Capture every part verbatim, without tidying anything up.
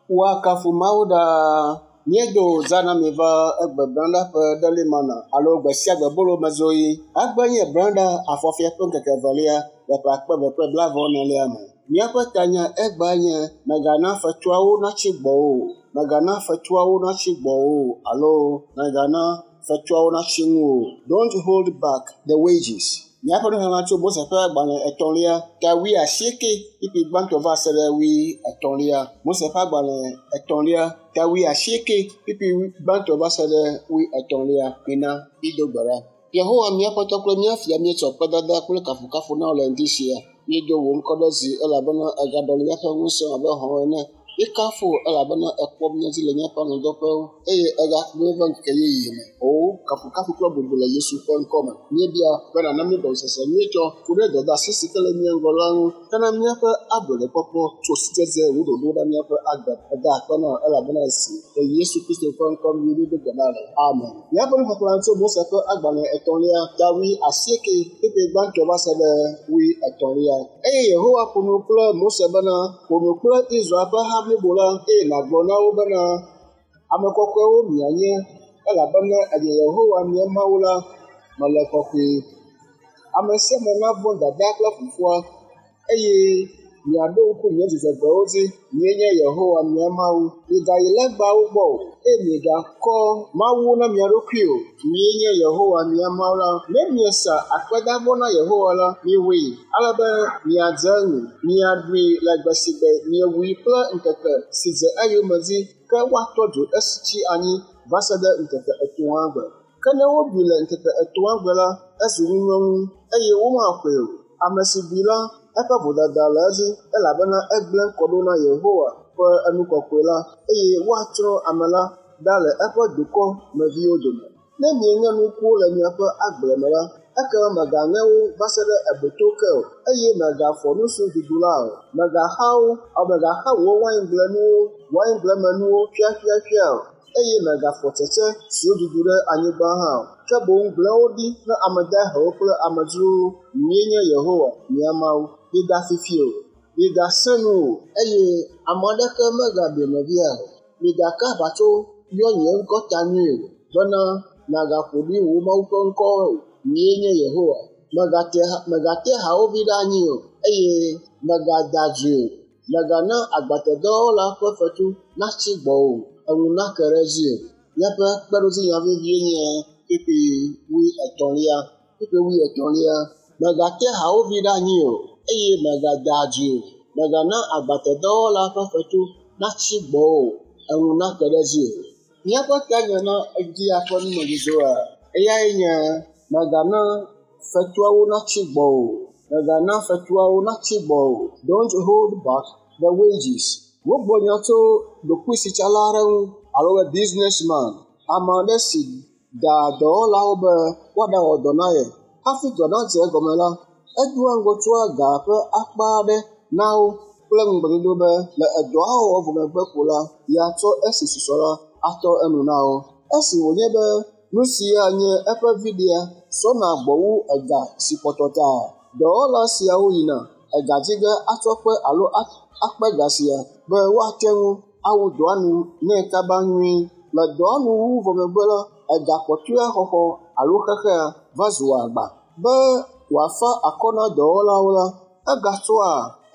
Woakafu Mawu ɖaa. Míedo zã na mi va egbe branda ƒe ɖelimana alo gbe sia gbe bolo mezoɣi. Agbe nye branda afɔfia ƒe ŋkeke evelia le ƒe akpe eve kple blaeve enelia me. Míaƒe tanya egbea nye mègana fetuawo natsi gbɔwò o. Mègana fetuawo natsi gbɔwò o alo mègana fetuawo natsi ŋuwò o. Don't hold back the wages. Míaƒe nuxexlẽ tso Mose ƒe agbalẽ etɔ̃lia ta wuiasieke kpukpui gbãtɔ va se ɖe wuietɔ̃lia. Mose ƒe agbalẽ etɔ̃lia ta wuiasieke kpukpui gbãtɔ va se ɖe wuietɔ̃lia. Mina mído gbe ɖa. Yehowa mía Aƒetɔ kple mía Fia míetsɔ kpedada kple kafukafu na wò le ŋdi sia. Míedo wò ŋkɔ ɖe dzi elabena ègaɖɔli míaƒe ŋusẽ abe hɔ̃ ene. Míekafu wò elabena èkpɔ mía dzi le míaƒe alɔ̃dɔƒewo eye ègaxɔ mí va ŋkeke yeye me. Wò kafukafu kple bubu le Yesu ƒe ŋkɔ me. Míebia be nàna mí gɔmesese nyuitɔ ku ɖe dɔdeasi si ke le mía ŋgɔ la ŋu hena míaƒe ablɔɖekpɔkpɔ tso sidzedze wò ɖoɖo ɖe míaƒe agbe. Eda akpe na wò elabena esi le Yesu Kristo ƒe ŋkɔ me míedo gbe ɖa le. Amen. Míaƒe nuxexlẽ tso Mose ƒe agbalẽ etɔ̃lia ta wuiasieke kpukpui gbãtɔ va se ɖe wuietɔ̃lia. Eye Yehowa ƒo nu kple Mose bena, ƒo nu kple Israel ƒe ha blibo la eye nàgblɔ na wo bena, ame kɔkɔewo mianye elabena enye Yehowa mia Mawu la, mele kɔkɔe. Ame sia ame navɔ̃ dadaa kple fofoa eye miaɖo ŋku nye dzudzɔgbewo dzi. Nyee nye Yehowa mia Mawu. Migayi legbawo gbɔ o eye migakɔ mawuwo na mia ɖokui o. Nyee nye Yehowa mia Mawu la. Ne miesa akpedavɔ na Yehowa la, miwɔe ale be miadze eŋu. Miaɖui le gbe si gbe miewui kple ŋkeke si dze eyome dzi ke woatɔ dzo esi tsi anyi va se ɖe ŋkeke etɔ̃a gbe. Ke ne woɖui le ŋkeke etɔ̃a gbe la, ezu ŋunyɔnu eye womaxɔe o. Ame si ɖui la, eƒe vodada le edzi elabena egblẽ kɔ ɖo na Yehowa ƒe enu kɔkɔe la eye woatsrɔ̃ ame la ɖa le eƒe dukɔ meviwo dome. Ne mieŋe nukuwo le miaƒe agble me la, ekema mègaŋe wo va se ɖe eboto ke o eye mègafɔ nu si dudu la o. Mègaxa wo alo mègaxa wò waingblenuwo waingblemenuwo ƒiaƒiaƒia o eye mègafɔ tsetse siwo dudu ɖe anyigba hã o. Ke boŋ gblẽ wo ɖi na ame dahewo kple amedzrowo. Nyee nye Yehowa mia Mawu. Migafi fi o, migasẽ nu o eye ame aɖeke megaɖe nɔvia o. Migaka aʋatso yɔ nye ŋkɔ ta nyuie o bena nàgaƒo ɖi wò Mawu ƒe ŋkɔ o. Nyee nye Yehowa. Mègate mègate hawòvi ɖe anyi o eye mègada adzoe o. Mègana agbatedɔwɔla ƒe fetu natsi gbɔwò o, eŋu nake ɖe edzi o. Míaƒe kpeɖodzinya vevie nye kpukpui wuietɔ̃lia. Kpukpui wuietɔ̃lia. Mègate hawòvi ɖe anyi o eye mègada adzoe o. Mègana agbatedɔwɔla ƒe fetu natsi gbɔwò o, eŋu nake ɖe edzi o. Míaƒe tanya na edzia ƒe numedzodzroa eyae nye mègana fetuawo natsi gbɔwò o. Mègana fetuawo natsi gbɔwò o. Don't hold back the wages. Wogblɔ nya tso ɖokuisitsala aɖe ŋu alo be businessman, ame aɖe si daa dɔwɔlawo be woaɖawɔ dɔ na ye. Hafi dɔ nadze egɔme la, edoa ŋgɔ tsɔa ga ƒe akpa aɖe na wo kple ŋugbedodo be le edɔa wɔwɔ vɔ megbe ko la, yeatsɔ esi susɔ la atɔ enu na wo. Esi wònye be nu sia nye eƒe viɖea sɔna gbɔ wu ega si kpɔtɔ ta, dɔwɔla siawo yina ega dzi ge atsɔ kpe alo akpe ga sia be woate ŋu awu dɔa nu nɛ kaba nyuie. Le dɔa nu wuwu vɔ megbe la, ega kpɔtɔea xɔxɔ alo xexea va zua agba. Be wòafa akɔ na dɔwɔlawo la, egatsɔa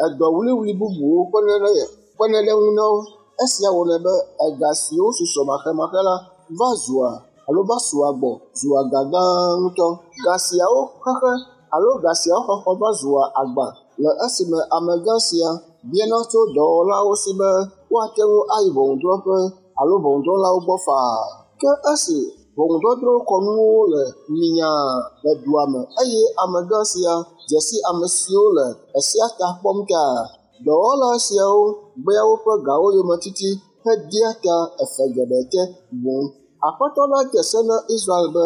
edɔ wliwli bubuwo kpena ɖe kpena ɖe eŋu na wo. Esia wɔnɛ be ega siwo susɔ maxemaxe la va zua alo va sua gbɔ zua ga gã ŋutɔ. Ga siawo xexe alo ga siawo xɔxɔ va zua agba le esime amegã sia biana tso dɔwɔlawo si be woate ŋu ayi ʋɔnudrɔ̃ƒe alo ʋɔnudrɔ̃lawo gbɔ faa. Ke esi ʋɔnudɔdrɔ̃ kɔnuwo le minyaa le dua me eye amegã sia dze si ame siwo le esia ta kpɔm ta, dɔwɔla siawo gbea woƒe gawo yometiti hedea ta efe geɖe te boŋ. Aƒetɔ la de se na Israel be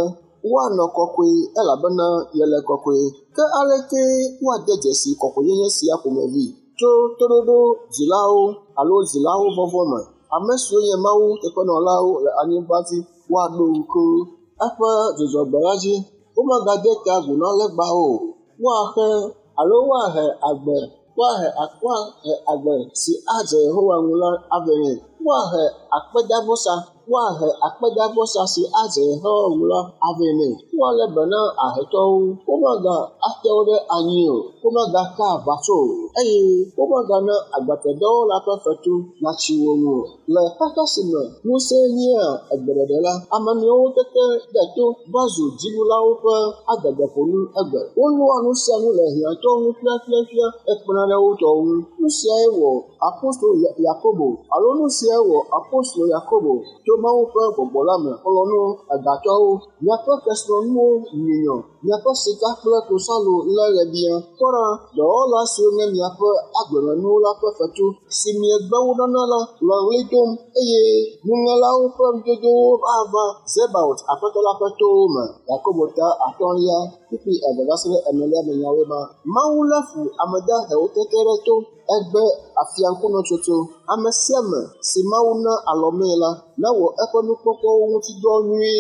woanɔ kɔkɔe elabena yele kɔkɔe. Ke aleke woade dzesi kɔkɔenyenye sia ƒomevi? Tso toɖoɖo dzilawo alo dzilawo vɔvɔ̃ me. Ame siwo nye Mawu teƒenɔlawo le anyigba dzi woaɖo ŋku eƒe dzudzɔgbe la dzi. Womegade ta agu na legbawo o. Woaxe alo woahe agbe woahe woahe agbe si adze Yehowa ŋu la avɛ nɛ. Woahe akpedavɔsa woahe akpedavɔsa si adze Yehowa ŋu la avɛ nɛ. Woalé be na ahetɔwo. Womaga ate wo ɖe anyi o. Womagaka aʋatso o eye womagana agbatedɔwɔla ƒe fetu natsi wo ŋu o. Le xexe si me ŋusẽ nyea egbeɖeɖe la, ame nɔewo tete ɖe to va zu dziɖulawo ƒe adegbeƒonu egbe. Wolɔa nu sia nu le hiãtɔwo ŋu ƒiaƒiaƒia hekpena ɖe wo tɔwo ŋu. Nu siae wɔ apostolo Yakobo alo nu siae wɔ apostolo Yakobo tso Mawu ƒe gbɔgbɔ la me xlɔ̃ nu egatɔwo. Miaƒe kesinɔnuwo nyunyɔ, miaƒe sika kple klosalo lé ɣebia. Kpɔ ɖa, dɔwɔla siwo nye miaƒe agblemenuwo la ƒe fetu si miegbe wo nana la le ɣli dom eye nuŋelawo ƒe nudodowo ava Zebaot Aƒetɔ la ƒe towo me. Yakobo ta atɔ̃lia kpukpui eve va se ɖe enelia me nyawoe ma. Mawu lé fu ame dahewo tete ɖe to. Egbe afiaŋkunɔtsotso. Ame sia ame si Mawu na alɔmee la nawɔ eƒe nukpɔkpɔwo ŋuti dɔ nyuie.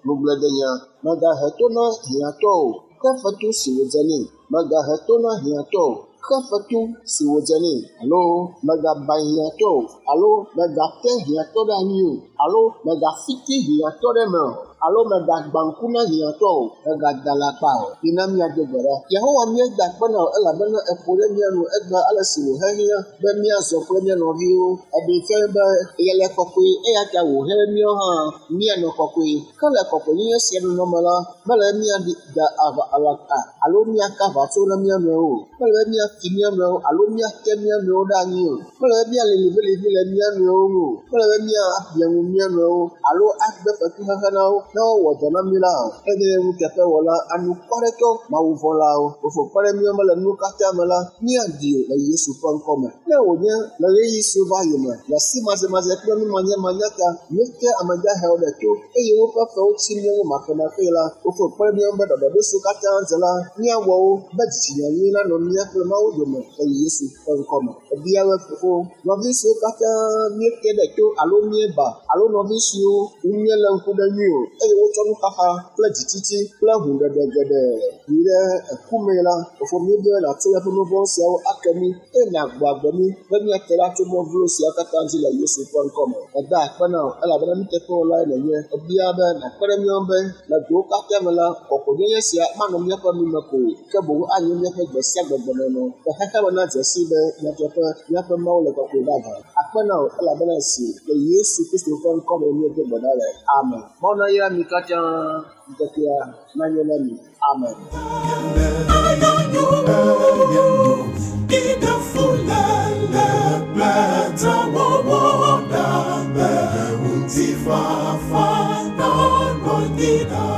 Ŋugbledenya. Mègahe to na hiãtɔ o, xe fetu si wòdze nɛ. Mègahe to na hiãtɔ o, xe fetu si wòdze nɛ. Alo mègaba hiãtɔ o, alo mègate hiãtɔ ɖe anyi o, alo mègafiti hiãtɔ ɖe eme o, alo mègagbã ŋku na hiãtɔ o, mègada alakpa o. Mina míado gbe ɖa. Yehowa míeda akpe na wò elabena èƒo ɖe mía nu egbe ale si wòhehiã be míazɔ kple mía nɔviwo. Eɖee fia be yele kɔkɔe eya ta wòhe míawo hã míanɔ kɔkɔe. Ke le kɔkɔenyenye sia nɔnɔ me la, mele be míada aʋa alakpa alo míaka aʋatso na mía nɔewo o. Mele be míafi mía nɔewo alo míate mía nɔewo ɖe anyi o. Mele be míali liʋiliʋi le mía nɔewo ŋu o. Mele be míable nu mía nɔewo alo agbe fetuxexe na wo ne wowɔ dɔ na mí la o. Eye nuteƒewɔla anukwaretɔ mawuvɔ̃lawo fofo kpe ɖe mía ŋu le nuwo katã me la, míaɖi o le Yesu ƒe ŋkɔ me. Ne wònye le ɣeyiɣi siwo va yi me le asimadzemadzɛ kple numanyamanya ta míete ame dahewo ɖe to eye woƒe fewo tsi mía ŋu makemake la, fofo kpe ɖe mía ŋu be ɖɔɖɔɖo siwo katã dze la míawɔ wo be dzitsinya nyui nanɔ mía kple Mawu dome le Yesu ƒe ŋkɔ me. Ebia be fofo, nɔvi siwo katã míete ɖe to alo míeba alo nɔvi siwo ŋu míelé ŋku ɖe nyuie o eye wotsɔ nuxaxa kple dzitsitsi kple hũɖeɖe geɖe yi ɖe eku mee la, fofo míebia be nàtsɔ míaƒe nu vɔ̃ siawo ake mí eye nàgbɔ agbe mí be míate ɖa tso mɔ vlo siawo katã dzi le Yesu ƒe ŋkɔ me. Eda akpe na wò elabena nuteƒewɔlae nènye. Ebia be nàkpe ɖe mía ŋu be le gowo katã me la, kɔkɔenyenye sia manɔ míaƒe nu me ko o, ke boŋ anye míaƒe gbe sia gbe gbenɔnɔ. Le xexea me nadze sii be nyateƒe míaƒe Mawu le kɔkɔe vavã. Akpe na wò elabena esi le Yesu Kristo ƒe ŋkɔ me míedo gbe ɖa le. Amen. Mawu nayra mi katã ŋkekea nanyo na mi. Amen. Fa fa na no ni da.